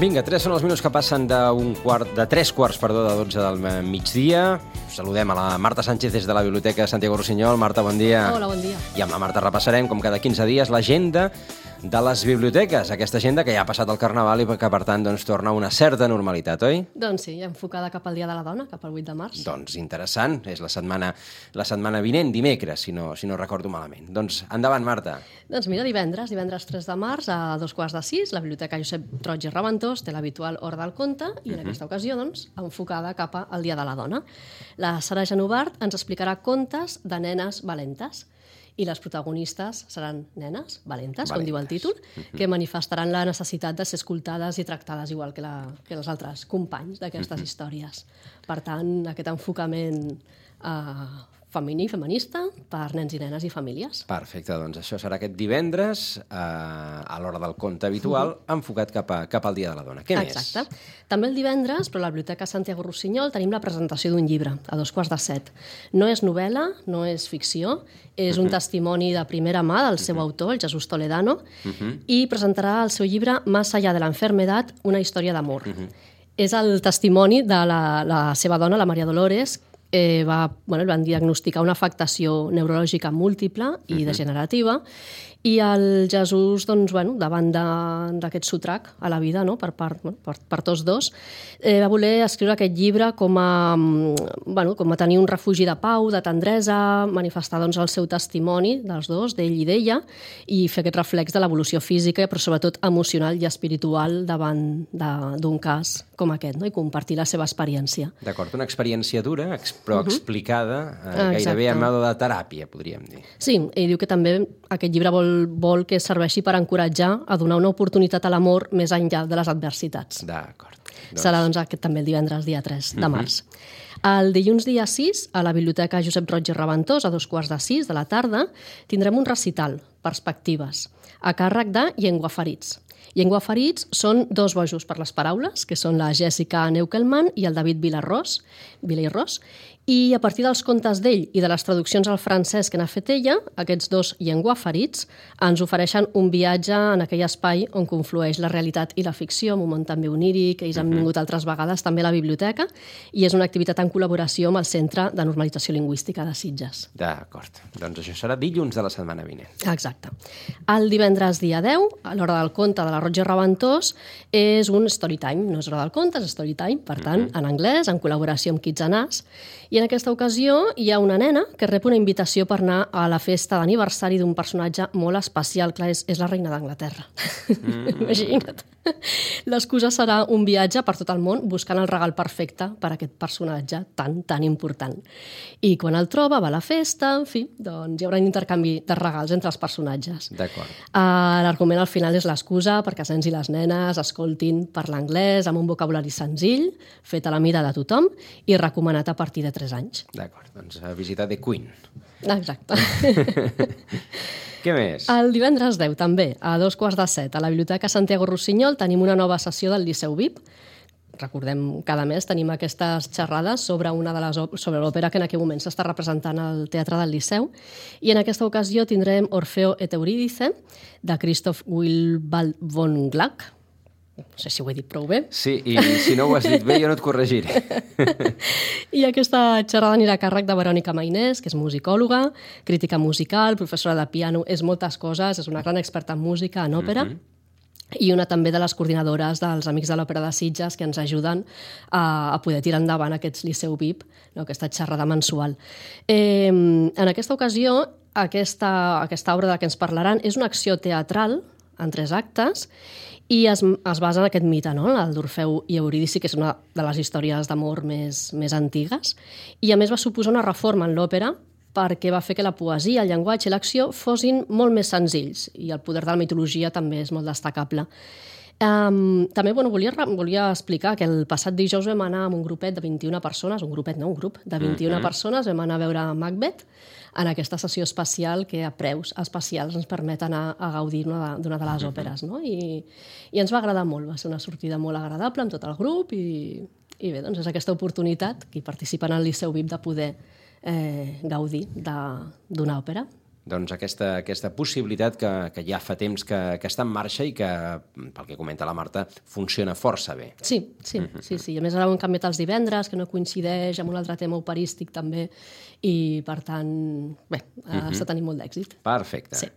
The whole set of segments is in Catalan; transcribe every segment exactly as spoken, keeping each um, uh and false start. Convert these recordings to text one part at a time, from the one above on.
Vinga, tres són els minuts que passen d'un quart, de tres quarts, perdó, de dotze del migdia. Saludem a la Marta Sánchez des de la Biblioteca Santiago Rusiñol. Marta, bon dia. Hola, bon dia. I amb la Marta repassarem, com cada quinze dies, l'agenda de les biblioteques. Aquesta agenda que ja ha passat el Carnaval i que, per tant, doncs, torna a una certa normalitat, oi? Doncs sí, enfocada cap al Dia de la Dona, cap al vuit de març. Doncs interessant. És la setmana, la setmana vinent, dimecres, si no, si no recordo malament. Doncs endavant, Marta. Doncs mira, divendres, divendres tres de març, a dos quarts de sis, la Biblioteca Josep Roig i Raventós té l'habitual Hora del Conte i en uh-huh. aquesta ocasió, doncs, enfocada cap al Dia de la Dona. La Sara Genovart ens explicarà contes de nenes valentes i les protagonistes seran nenes valentes, valentes. com diu el títol, uh-huh. que manifestaran la necessitat de ser escoltades i tractades igual que, la, que els altres companys d'aquestes uh-huh. històries. Per tant, aquest enfocament eh, femení, feminista, per nens i nenes i famílies. Perfecte, doncs això serà aquest divendres eh, a l'hora del conte habitual, uh-huh. enfocat cap, a, cap al Dia de la Dona. Què Exacte. més? Exacte. També el divendres, però a la Biblioteca Santiago Rusiñol, tenim la presentació d'un llibre, a dos quarts de set. No és novel·la, no és ficció, és uh-huh. un testimoni de primera mà del seu uh-huh. autor, el Jesús Toledano, uh-huh. i presentarà el seu llibre Más allá de la enfermedad, una història d'amor. Uh-huh. És el testimoni de la, la seva dona, la Maria Dolores, Eh, va, bueno, van diagnosticar una afectació neurològica múltiple i uh-huh. degenerativa, i el Jesús, doncs, bueno, davant d'aquest sotrac a la vida, no? per, part, bueno, per, per tots dos, eh, va voler escriure aquest llibre com a, bueno, com a tenir un refugi de pau, de tendresa, manifestar doncs, el seu testimoni dels dos, d'ell i d'ella, i fer aquest reflex de l'evolució física, però sobretot emocional i espiritual davant d'un cas com aquest, no? I compartir la seva experiència. D'acord, una experiència dura, però uh-huh. explicada eh, gairebé a mode de teràpia, podríem dir. Sí, ell diu que també aquest llibre vol, vol que serveixi per encoratjar a donar una oportunitat a l'amor més enllà de les adversitats. D'acord. Doncs... Serà doncs, aquest també el divendres, dia tres de març. Uh-huh. El dilluns dia sis, a la Biblioteca Josep Roig i Raventós, a dos quarts de sis de la tarda, tindrem un recital, Perspectives, a càrrec de Llenguaferits. Llenguaferits són dos bojos per les paraules, que són la Jèssica Neukelman i el David Vilarrós, Vilairós, i a partir dels contes d'ell i de les traduccions al francès que n'ha fet ella, aquests dos llenguaferits ens ofereixen un viatge en aquell espai on conflueix la realitat i la ficció, un moment també oníric, ells han vingut altres vegades també a la biblioteca, i és una activitat en col·laboració amb el Centre de Normalització Lingüística de Sitges. D'acord, doncs això serà dilluns de la setmana vinent. Exacte. El divendres dia deu, a l'hora del conte de la Roig i Raventós, és un storytime, no és hora del conte, és storytime, per tant, en anglès, en col·laboració amb Kids and Us. I en aquesta ocasió hi ha una nena que rep una invitació per anar a la festa d'aniversari d'un personatge molt especial. Clar, és, és la reina d'Anglaterra. Mm. Imagina't. L'excusa serà un viatge per tot el món buscant el regal perfecte per a aquest personatge tan, tan important. I quan el troba, va a la festa, en fi, doncs hi haurà un intercanvi de regals entre els personatges. D'acord. Uh, L'argument al final és l'excusa perquè els nens i les nenes escoltin parlar anglès amb un vocabulari senzill, fet a la mida de tothom i recomanat a partir de tres anys. D'acord, doncs a visitar The Queen. Exacte. Què més? El divendres deu, també, a dos quarts de set, a la Biblioteca Santiago Rusiñol tenim una nova sessió del Liceu V I P. Recordem, cada mes tenim aquestes xerrades sobre una de les sobre l'òpera que en aquell moment s'està representant al Teatre del Liceu, i en aquesta ocasió tindrem Orfeo et Eurídice, de Christoph Willibald von Gluck. No sé si ho he dit prou bé. Sí, i si no ho has dit bé, jo no et corregiré. I aquesta xerrada anirà a càrrec de Verònica Mainès, que és musicòloga, crítica musical, professora de piano, és moltes coses, és una gran experta en música, en òpera, mm-hmm. i una també de les coordinadores dels Amics de l'Òpera de Sitges que ens ajuden a, a poder tirar endavant aquests Liceu V I P, no, aquesta xerrada mensual. Eh, en aquesta ocasió, aquesta, aquesta obra de la que ens parlaran és una acció teatral en tres actes, i es, es basa en aquest mite, no? El d'Orfeu i Eurídice, que és una de les històries d'amor més, més antigues, i a més va suposar una reforma en l'òpera perquè va fer que la poesia, el llenguatge i l'acció fossin molt més senzills, i el poder de la mitologia també és molt destacable. Um, també bueno, volia, volia explicar que el passat dijous vam anar amb un grupet de vint-i-una persones, un grupet, no, un grup de vint-i-una mm-hmm. persones, vam anar a veure Macbeth en aquesta sessió especial que a preus especials ens permet anar a gaudir d'una de, de les òperes, no? I, i ens va agradar molt, va ser una sortida molt agradable amb tot el grup, i, i bé, doncs és aquesta oportunitat, qui participa en el Liceu V I P, de poder eh, gaudir d'una òpera. doncs aquesta, aquesta possibilitat que, que ja fa temps que, que està en marxa i que, pel que comenta la Marta, funciona força bé. Sí, sí, mm-hmm. sí, sí. A més, ara ho hem canviat els divendres, que no coincideix amb un altre tema operístic també, i per tant, bé, mm-hmm. està tenint molt d'èxit. Perfecte. Sí.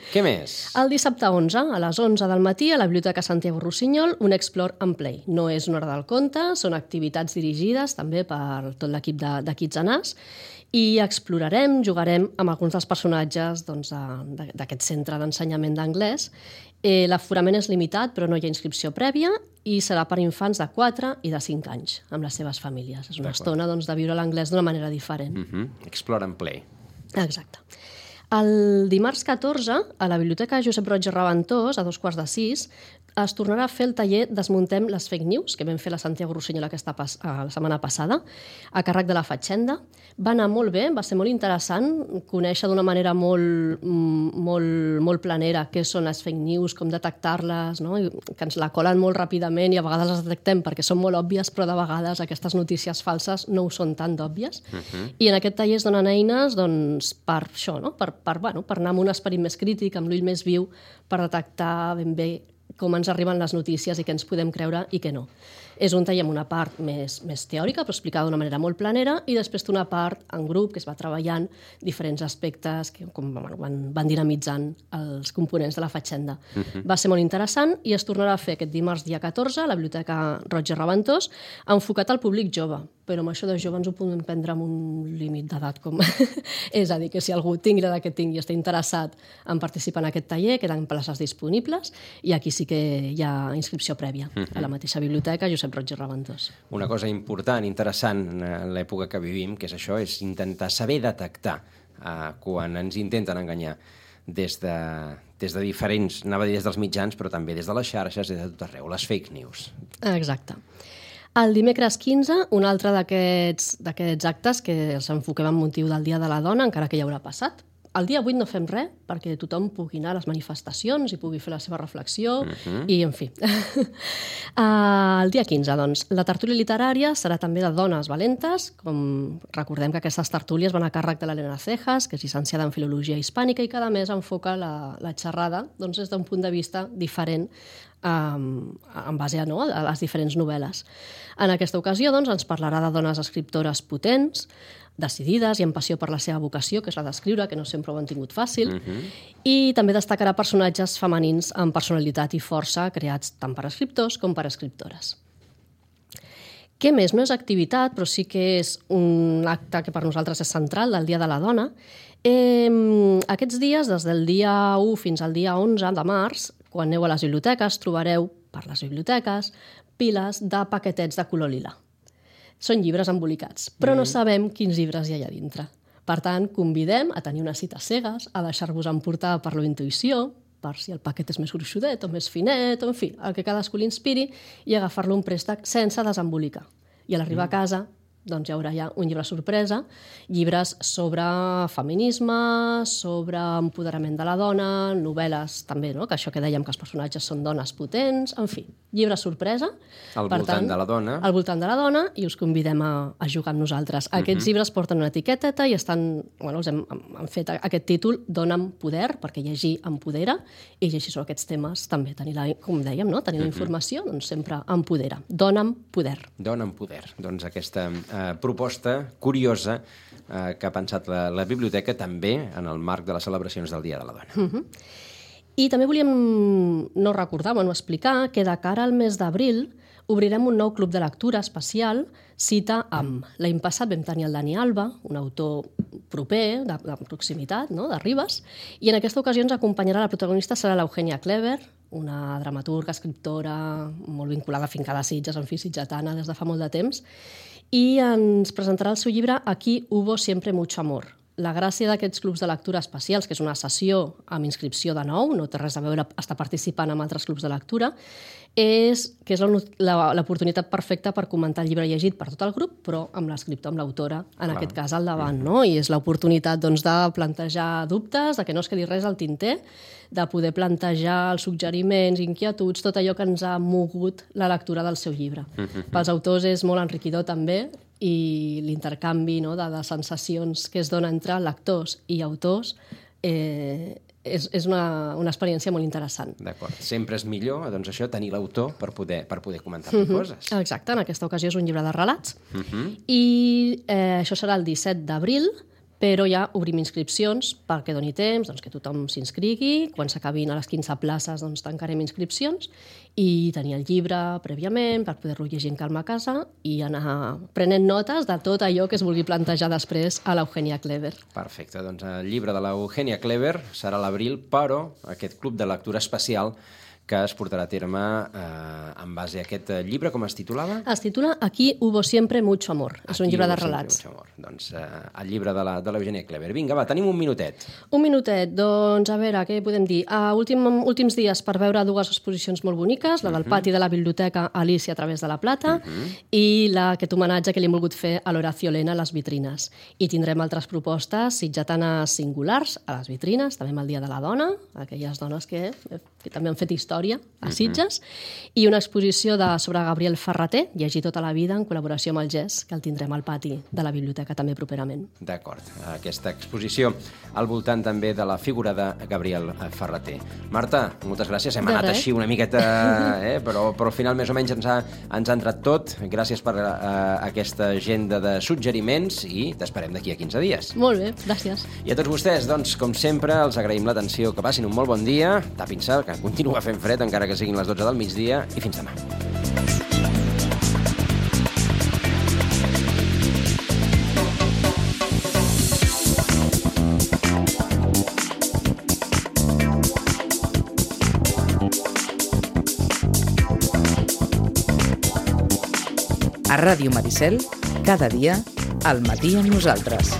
Què més? El dissabte onze, a les onze del matí, a la Biblioteca Santiago Rossinyol, un Explore and Play. No és una hora del conte, són activitats dirigides també per tot l'equip de, de Kids and Us, i explorarem, jugarem amb alguns dels personatges doncs, d'aquest centre d'ensenyament d'anglès. Eh, L'aforament és limitat, però no hi ha inscripció prèvia i serà per infants de quatre i de cinc anys, amb les seves famílies. És una estona doncs, de viure l'anglès d'una manera diferent. Mm-hmm. Explore and Play. Exacte. El dimarts catorze, a la Biblioteca Josep Roig i Reventós, a dos quarts de sis, es tornarà a fer el taller Desmuntem les fake news, que vam fer la Santiago Rossinyol aquesta pas la setmana passada, a càrrec de la Fatxenda. Va anar molt bé, va ser molt interessant conèixer d'una manera molt, molt, molt planera què són les fake news, com detectar-les, no? Que ens la colen molt ràpidament i a vegades les detectem perquè són molt òbvies, però de vegades aquestes notícies falses no ho són tan d'òbvies. Uh-huh. I en aquest taller es donen eines doncs, per això, no? per, per, bueno, per anar amb un esperit més crític, amb l'ull més viu, per detectar ben bé com ens arriben les notícies i què ens podem creure i què no. És un taller amb una part més, més teòrica, però explicada d'una manera molt planera, i després té una part en grup que es va treballant diferents aspectes que com, bueno, van, van dinamitzant els components de la Fatxenda. Uh-huh. Va ser molt interessant i es tornarà a fer aquest dimarts dia catorze a la Biblioteca Roig i Reventós, enfocat al públic jove. Però amb això de jove ens ho podem prendre amb un límit d'edat. Com... és a dir, que si algú tingui l'edat que tingui i està interessat en participar en aquest taller, queden places disponibles i aquí sí que hi ha inscripció prèvia uh-huh. a la mateixa biblioteca Josep Roig i Reventós. Una cosa important, interessant en l'època que vivim, que és això, és intentar saber detectar eh, quan ens intenten enganyar des de, des de diferents, anava a dir des dels mitjans, però també des de les xarxes, des de tot arreu, les fake news. Exacte. El dimecres quinze, un altre d'aquests actes que els enfoquem en motiu del Dia de la Dona, encara que ja haurà passat. El dia vuit no fem res, perquè tothom pugui anar a les manifestacions i pugui fer la seva reflexió, uh-huh. i en fi. uh, el dia quinze, doncs, la tertúlia literària serà també de dones valentes, com recordem que aquestes tertúlies van a càrrec de l'Helena Cejas, que és llicenciada en Filologia Hispànica, i cada mes enfoca la, la xerrada doncs, des d'un punt de vista diferent um, en base a, no, a les diferents novel·les. En aquesta ocasió doncs, ens parlarà de dones escriptores potents, decidides i amb passió per la seva vocació, que és la d'escriure, que no sempre ho han tingut fàcil, uh-huh. i també destacarà personatges femenins amb personalitat i força creats tant per escriptors com per escriptores. Què més? No és activitat, però sí que és un acte que per nosaltres és central del Dia de la Dona. Eh, aquests dies, des del dia u fins al dia onze de març, quan aneu a les biblioteques, trobareu per les biblioteques piles de paquetets de color lila. Són llibres embolicats, però no sabem quins llibres hi ha allà dintre. Per tant, convidem a tenir unes cites cegues, a deixar-vos emportar per la intuïció, per si el paquet és més gruixudet o més finet, o en fi, el que cadascú l'inspiri, i agafar-lo un préstec sense desembolicar. I a l'arribar a casa, doncs hi haurà ja un llibre sorpresa, llibres sobre feminisme, sobre empoderament de la dona, novel·les també, no? Que això que dèiem que els personatges són dones potents, en fi, llibre sorpresa. Al voltant tant, de la dona. Al voltant de la dona, i us convidem a, a jugar amb nosaltres. Aquests uh-huh. llibres porten una etiqueteta i estan, bueno, els hem, hem fet aquest títol, Dona'm poder, perquè llegir empodera, i llegir sobre aquests temes també, tenir la, com dèiem, no? tenir la informació, doncs sempre empodera. Dona'm poder. Dona'm poder. Doncs aquesta eh, proposta curiosa eh, que ha pensat la, la biblioteca també en el marc de les celebracions del Dia de la Dona. Uh-huh. I també volíem no recordar, bueno, explicar que de cara al mes d'abril obrirem un nou club de lectura especial, Cita amb. L'any passat vam tenir el Dani Alba, un autor proper, de, de proximitat, no? de Ribes, i en aquesta ocasió ens acompanyarà la protagonista, serà l'Eugènia Clever, una dramaturga, escriptora, molt vinculada a Finca de Sitges, en fi, sitgetana, des de fa molt de temps, i ens presentarà el seu llibre Aquí hubo siempre mucho amor. La gràcia d'aquests clubs de lectura especials, que és una sessió amb inscripció de nou, no té res a veure estar participant en altres clubs de lectura, és que és l'oportunitat perfecta per comentar el llibre llegit per tot el grup, però amb l'escriptor, amb l'autora, en Clar. Aquest cas al davant, no? I és l'oportunitat doncs, de plantejar dubtes, de que no es quedi res al tinter, de poder plantejar els suggeriments, inquietuds, tot allò que ens ha mogut la lectura del seu llibre. Pels autors és molt enriquidor també, i l'intercanvi, no, de, de sensacions que es dona entre lectors i autors eh, és, és una, una experiència molt interessant. D'acord. Sempre és millor, doncs això, tenir l'autor per poder, per poder comentar-li uh-huh. coses. Exacte, en aquesta ocasió és un llibre de relats. Uh-huh. I eh, això serà el disset d'abril, però ja obrim inscripcions perquè doni temps, doncs, que tothom s'inscrigui. Quan s'acabin a les quinze places doncs, tancarem inscripcions i tenir el llibre prèviament per poder-lo llegir en calma a casa i anar prenent notes de tot allò que es vulgui plantejar després a l'Eugènia Clever. Perfecte, doncs el llibre de l'Eugènia Clever serà a l'abril, però aquest club de lectura especial que es portarà a terme eh, en base a aquest llibre, com es titulava? Es titula Aquí hubo siempre mucho amor. És un llibre de relats. Mucho amor. Doncs eh, el llibre de la, de l'Eugènia Clever. Vinga, va, tenim un minutet. Un minutet. Doncs, a veure, què podem dir? Uh, últim, últims dies per veure dues exposicions molt boniques, la del uh-huh. pati de la biblioteca Alicia a través de la Plata uh-huh. i la, aquest homenatge que li hem volgut fer a l'Horacio Lena a les vitrines. I tindrem altres propostes sitgetanes singulars a les vitrines, també amb el Dia de la Dona, aquelles dones que, que també han fet història a Sitges, uh-huh. i una exposició de, sobre Gabriel Ferrater, llegir tota la vida, en col·laboració amb el G E S, que el tindrem al pati de la biblioteca també properament. D'acord. Aquesta exposició al voltant també de la figura de Gabriel Ferrater. Marta, moltes gràcies. Hem de anat res. així una miqueta, eh? però, però al final més o menys ens ha, ens ha entrat tot. Gràcies per uh, aquesta agenda de suggeriments i t'esperem d'aquí a quinze dies. Molt bé, gràcies. I a tots vostès, doncs, com sempre, els agraïm l'atenció. Que passin un molt bon dia. Tapin-se, que continua fent fred, encara que siguin les dotze del migdia, i fins demà. A Ràdio Maricel, cada dia, al matí amb nosaltres.